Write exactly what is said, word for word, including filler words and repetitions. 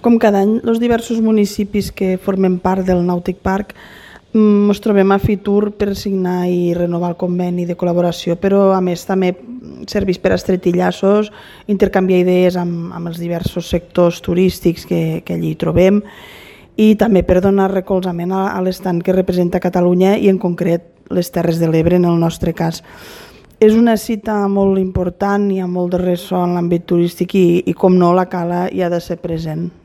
Com cada any, els diversos municipis que formen part del Nàutic Park ens trobem a Fitur per signar i renovar el conveni de col·laboració, però a més també serveix per estretir llaços, intercanviar idees amb, amb els diversos sectors turístics que, que allí trobem i també per donar recolzament a, a l'estand que representa Catalunya i en concret les Terres de l'Ebre en el nostre cas. És una cita molt important, hi ha molt de ressò en l'àmbit turístic i, i com no, la Cala hi ha de ser present.